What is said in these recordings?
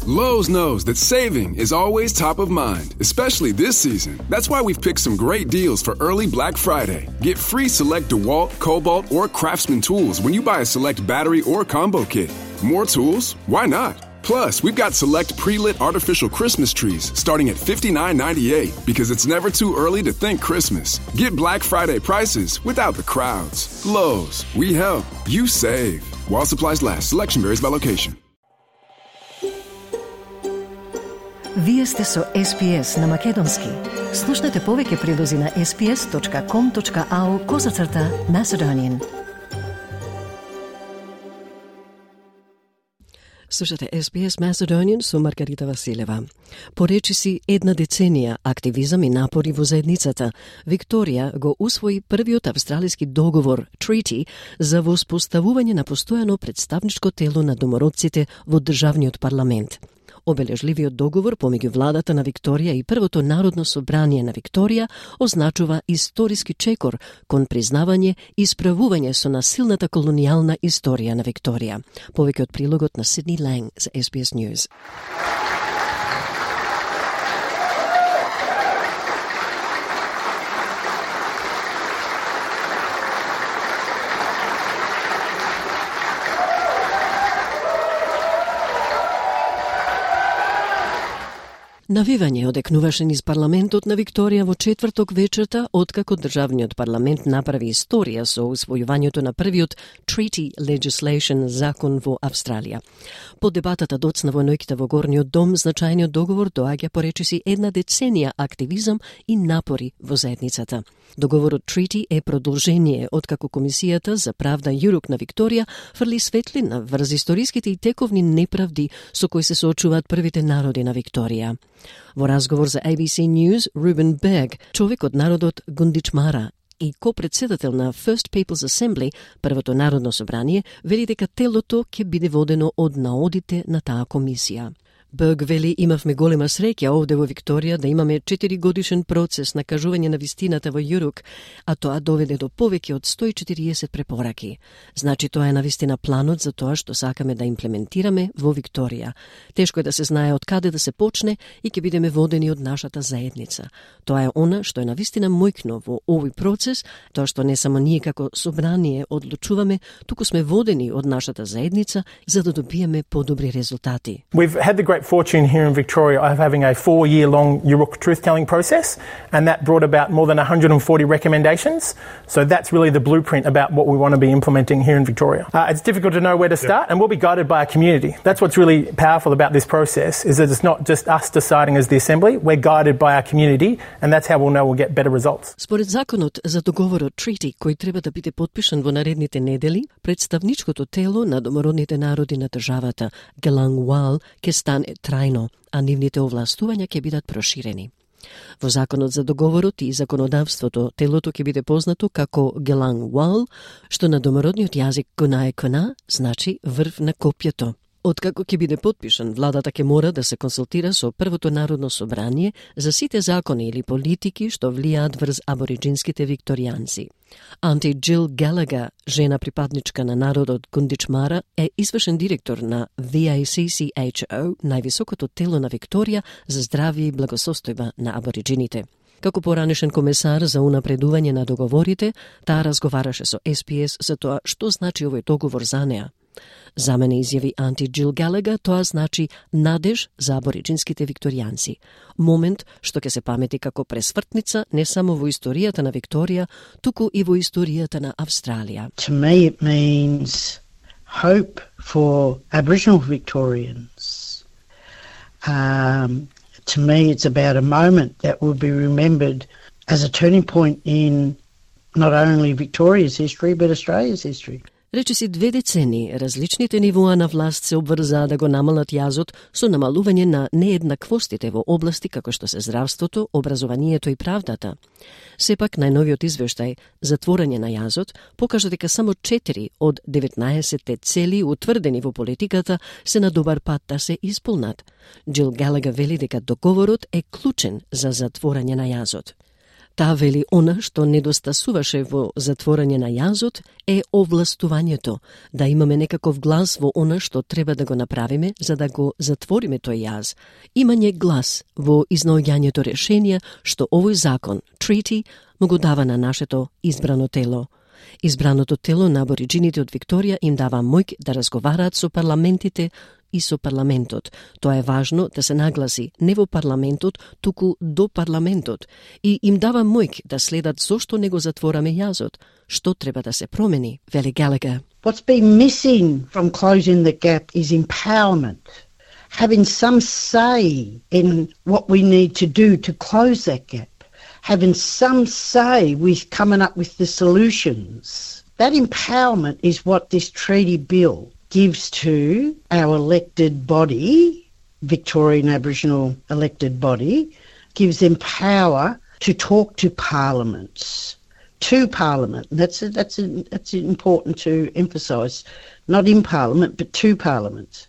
Lowe's knows that saving is always top of mind, especially this season. That's why we've picked some great deals for early Black Friday. Get free select DeWalt, Cobalt, or Craftsman tools when you buy a select battery or combo kit. More tools? Why not? Plus, we've got select pre-lit artificial Christmas trees starting at $59.98 because it's never too early to think Christmas. Get Black Friday prices without the crowds. Lowe's, we help, you save. While supplies last, selection varies by location. Вие сте со SPS на Македонски. Слушнете повеќе прилози на sps.com.au/Macedonian. Слушате SBS Macedonian со Маргарита Василева. Поречиси една деценија активизам и напори во заедницата, Викторија го усвои првиот австралиски договор, Treaty, за воспоставување на постојано представничко тело на домородците во државниот парламент. Обележливиот договор помеѓу владата на Викторија и Првото народно собрание на Викторија означува историски чекор кон признавање и исправување со насилната колонијална историја на Викторија. Повеќе од прилогот на Сидни Ланг за SBS News. Навивање одекнуваше низ парламентот на Викторија во четврток вечерта, откако државниот парламент направи историја со усвојувањето на првиот Treaty Legislation закон во Австралија. По дебатата доцна во ноќта во Горниот дом, значајниот договор доаѓа поречиси една деценија активизам и напори во заедницата. Договорот Treaty е продолжение откако Комисијата за правда Јурук на Викторија фрли светлина врз историските и тековни неправди со кои се соочуваат првите народи на Викторија. Во разговор за ABC News, Ruben Berg, човек од народот Гундичмара и ко-председател на First People's Assembly, Првото народно собрание, вели дека телото ќе биде водено од наодите на таа комисија. Берг вели, имавме голема среќа овде во Викторија да имаме 4-годишен процес на кажување на вистината во Јурук, а тоа доведе до повеќе од 140 препораки. Значи тоа е навистина планот за тоа што сакаме да имплементираме во Викторија. Тешко е да се знае од каде да се почне и ќе бидеме водени од нашата заедница. Тоа е она што е навистина мојкно во овој процес, тоа што не само ние како собрание одлучуваме, туку сме водени од нашата заедница за да добиеме подобри резултати. We've had the great fortune here in Victoria of having a 4-year-long Yurok truth-telling process, and that brought about more than 140 recommendations. So that's really the blueprint about what we want to be implementing here in Victoria. It's difficult to know where to start, and we'll be guided by our community. That's what's really powerful about this process, is that it's not just us deciding as the Assembly, we're guided by our community, and that's how we'll know we'll get better results. Според законот за договорот Treaty, кој треба да биде подпишан во наредните недели, представничкото тело на домородните народи на државата, Gelangwal, ќе стане трајно, а нивните овластувања ќе бидат проширени. Во законот за договорот и законодавството, телото ќе биде познато како Gelangwal, што на домородниот јазик Кунаe-Куна значи врв на копјето. Откако ќе биде подпишан, владата ќе мора да се консултира со Првото народно собрание за сите закони или политики што влијаат врз абориджинските викторијанци. Анти Джил Галага, жена припадничка на народот Гундичмара, е извршен директор на VACCHO, највисокото тело на Викторија за здравје и благосостојба на абориджините. Како поранешен комесар за унапредување на договорите, таа разговараше со SPS за тоа што значи овој договор за неа. За мене, изјави Анти Джил Галага, тоа значи надеж за абориджинските викторијанци. Момент што ќе се памети како пресвртница не само во историјата на Викторија, туку и во историјата на Австралија. To me it means hope for Aboriginal Victorians. To me it's about a moment that will be remembered as a turning point in not only Victoria's history but Australia's history. Речиси 2 децени, различните нивоа на власт се обврзаа да го намалат јазот со намалување на нееднаквостите во области како што се здравството, образованието и правдата. Сепак, најновиот извештај Затворање на јазот покажа дека само 4 од 19 цели утврдени во политиката се на добар пат да се исполнат. Джил Галага вели дека договорот е клучен за затворање на јазот. Таа вели она што недостасуваше во затворање на јазот е овластувањето, да имаме некаков глас во она што треба да го направиме за да го затвориме тој јаз. Имање глас во изнаоѓањето решенија што овој закон, treaty, му го дава на нашето избрано тело. Избраното тело на абориджините од Викторија им дава моќ да разговараат со парламентите и со парламентот. Тоа е важно да се нагласи не во парламентот, туку до парламентот, и им дава моќ да следат зошто не го затвораме јазот, што треба да се промени, вели Gallagher. What's been missing from closing the gap is empowerment. Having some say in what we need to do to close that gap. Having some say with coming up with the solutions. That empowerment is what this treaty bill gives to our elected body, Victorian Aboriginal elected body, gives them power to talk to parliaments. To Parliament. That's important to emphasise. Not in Parliament, but to parliaments.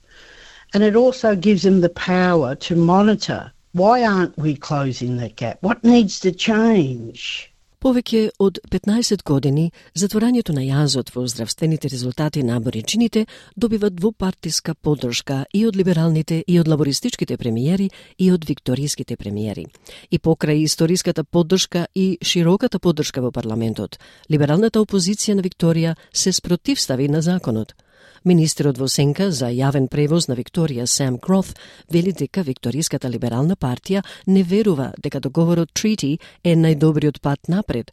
And it also gives them the power to monitor. Why aren't we closing that gap? What needs to change? Повеќе од 15 години, затворањето на јазот во здравствените резултати на абориджините добива двупартиска поддршка и од либералните и од лабористичките премиери и од викториските премиери. И покрај историската поддршка и широката поддршка во парламентот, либералната опозиција на Викторија се спротивстави на законот. Министерот во сенка за јавен превоз на Викторија, Sam Groth, вели дека Викториската либерална партија не верува дека договорот treaty е најдобриот пат напред.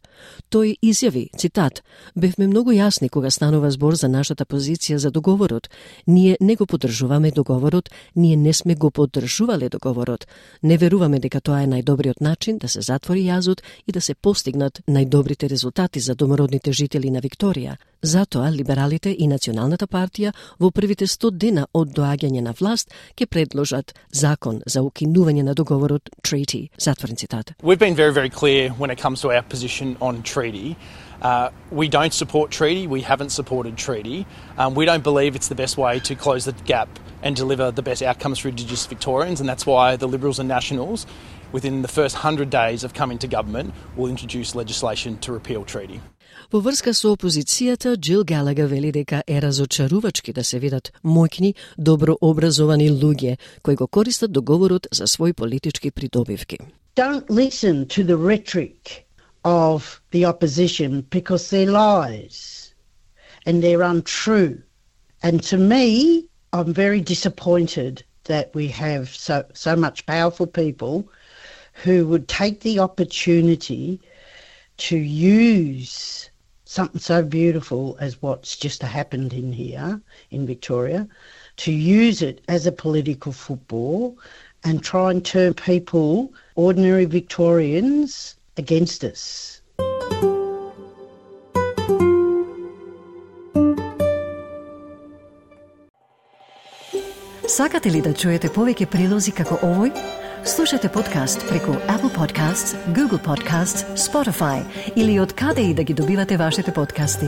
Тој изјави, цитат, "Бевме многу јасни кога станува збор за нашата позиција за договорот. Ние не го поддржуваме договорот, ние не сме го поддржувале договорот. Не веруваме дека тоа е најдобриот начин да се затвори јазот и да се постигнат најдобрите резултати за домородните жители на Викторија. Затоа либералите и Националната партија во првите 100 дена од доаѓање на власт ќе предложат закон за укинување на договорот treaty." Затворен цитат. We've been very, very clear when it comes to our position on treaty. We don't support treaty. We haven't supported treaty. We don't believe it's the best way to close the gap and deliver the best outcomes for Indigenous Victorians, and that's why the Liberals and Nationals, within the first 100 days of coming to government, will introduce legislation to repeal treaty. Во врска со опозицијата, Jill Gallagher вели дека е разочарувачки да се видат моќни, добро образовани луѓе кои го користат договорот за своји политички придобивки. Don't listen to the rhetoric of the opposition because they're lies and they're untrue. And to me, I'm very disappointed that we have so much powerful people who would take the opportunity to use something so beautiful as what's just happened in here in Victoria, to use it as a political football and try and turn people, ordinary Victorians, against us. Сакате ли да чуете повеќе прилози како овој? Слушате подкаст преку Apple Podcasts, Google Podcasts, Spotify или од каде и да ги добивате вашите подкасти.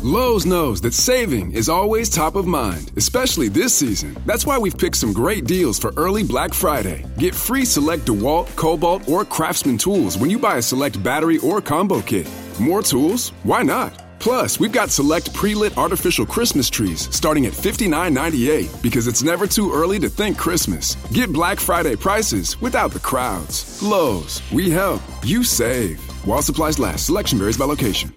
Lowe's knows that saving is always top of mind, especially this season. That's why we've picked some great deals for early Black Friday. Get free select DeWalt, Cobalt, or Craftsman tools when you buy a select battery or combo kit. More tools? Why not? Plus, we've got select pre-lit artificial Christmas trees starting at $59.98 because it's never too early to think Christmas. Get Black Friday prices without the crowds. Lowe's, we help, you save. While supplies last, selection varies by location.